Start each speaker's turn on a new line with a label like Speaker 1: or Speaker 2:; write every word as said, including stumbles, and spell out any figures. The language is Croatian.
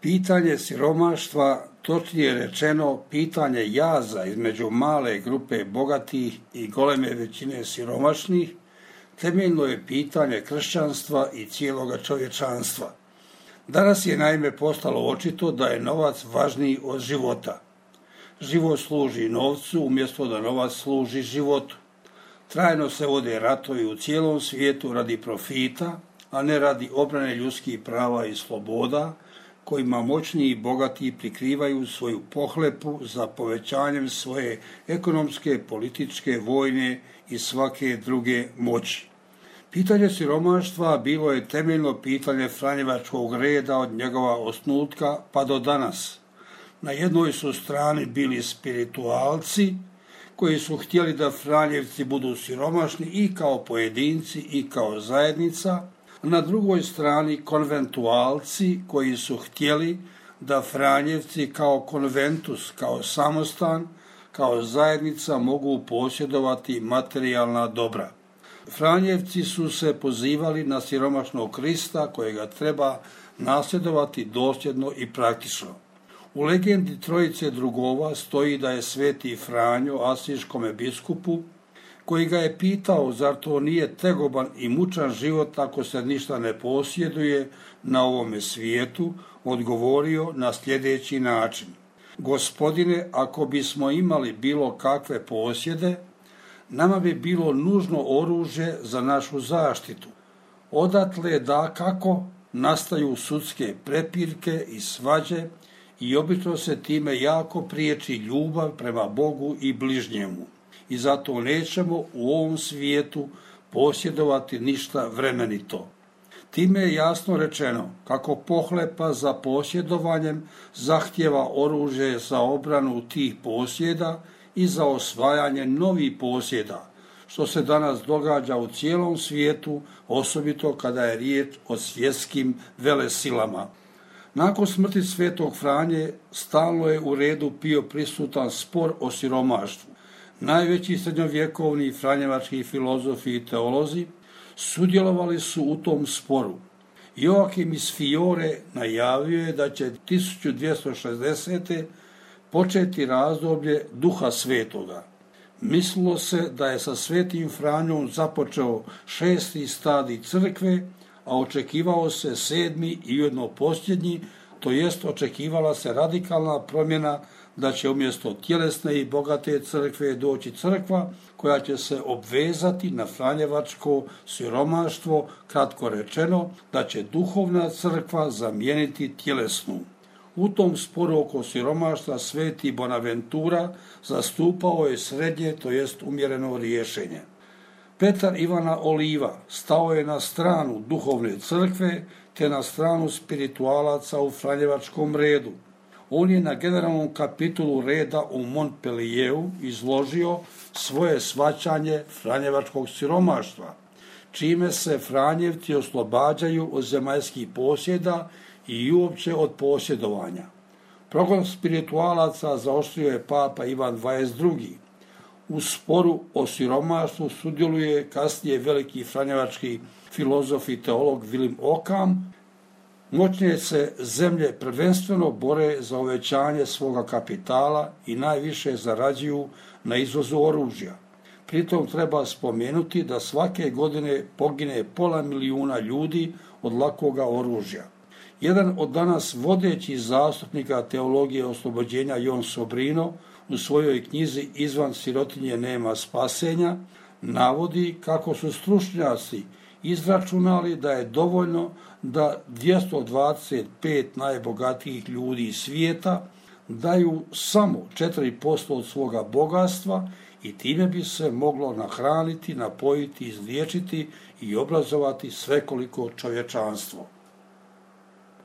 Speaker 1: Pitanje siromaštva, točnije rečeno pitanje jaza između male grupe bogatih i goleme većine siromašnih, temeljno je pitanje kršćanstva i cijeloga čovječanstva. Danas je naime postalo očito da je novac važniji od života. Život služi novcu umjesto da novac služi životu. Trajno se vode ratovi u cijelom svijetu radi profita, a ne radi obrane ljudskih prava i sloboda, kojima moćni i bogati prikrivaju svoju pohlepu za povećanjem svoje ekonomske, političke, vojne i svake druge moći. Pitanje siromaštva bilo je temeljno pitanje franjevačkog reda od njegova osnutka pa do danas. Na jednoj su strani bili spiritualci koji su htjeli da Franjevci budu siromašni i kao pojedinci i kao zajednica, na drugoj strani konventualci koji su htjeli da Franjevci kao konventus, kao samostan, kao zajednica mogu posjedovati materijalna dobra. Franjevci su se pozivali na siromašnog Krista kojega treba nasljedovati dosljedno i praktično. U legendi Trojice drugova stoji da je sveti Franjo asiškome biskupu, koji ga je pitao zar to nije tegoban i mučan život ako se ništa ne posjeduje na ovome svijetu, odgovorio na sljedeći način. Gospodine, ako bismo imali bilo kakve posjede, nama bi bilo nužno oružje za našu zaštitu. Odatle dakako nastaju sudske prepirke i svađe i obično se time jako priječi ljubav prema Bogu i bližnjemu. I zato nećemo u ovom svijetu posjedovati ništa vremenito. Time je jasno rečeno kako pohlepa za posjedovanjem zahtjeva oružje za obranu tih posjeda i za osvajanje novih posjeda, što se danas događa u cijelom svijetu, osobito kada je riječ o svjetskim velesilama. Nakon smrti svetog Franje stalno je u redu bio prisutan spor o siromaštvu. Najveći srednjovjekovni franjevački filozofi i teolozi sudjelovali su u tom sporu. Joakim iz Fiore najavio je da će tisuću dvjesto šezdesete početi razdoblje Duha Svetoga. Mislilo se da je sa svetim Franjom započeo šesti stadij crkve, a očekivao se sedmi i ujedno posljednji, to jest očekivala se radikalna promjena da će umjesto tjelesne i bogate crkve doći crkva koja će se obvezati na franjevačko siromaštvo, kratko rečeno da će duhovna crkva zamijeniti tjelesnu. U tom sporu oko siromaštva sveti Bonaventura zastupao je srednje, to jest umjereno rješenje. Petar Ivana Oliva stao je na stranu duhovne crkve te na stranu spiritualaca u franjevačkom redu. On je na generalnom kapitulu reda u Montpellieru izložio svoje shvaćanje franjevačkog siromaštva, čime se Franjevci oslobađaju od zemaljskih posjeda i uopće od posjedovanja. Progon spiritualaca zaoštrio je papa Ivan dvadeset drugi. U sporu o siromaštvu sudjeluje kasnije veliki franjevački filozof i teolog Willem Ockham. Moćnije se zemlje prvenstveno bore za uvećanje svoga kapitala i najviše zarađuju na izvozu oružja. Pritom treba spomenuti da svake godine pogine pola milijuna ljudi od lakoga oružja. Jedan od danas vodećih zastupnika teologije oslobođenja, Jon Sobrino, u svojoj knjizi Izvan sirotinje nema spasenja, navodi kako su stručnjaci izračunali da je dovoljno da dvjesto dvadeset pet najbogatijih ljudi svijeta daju samo četiri posto od svoga bogatstva i time bi se moglo nahraniti, napojiti, izliječiti i obrazovati svekoliko čovječanstvo.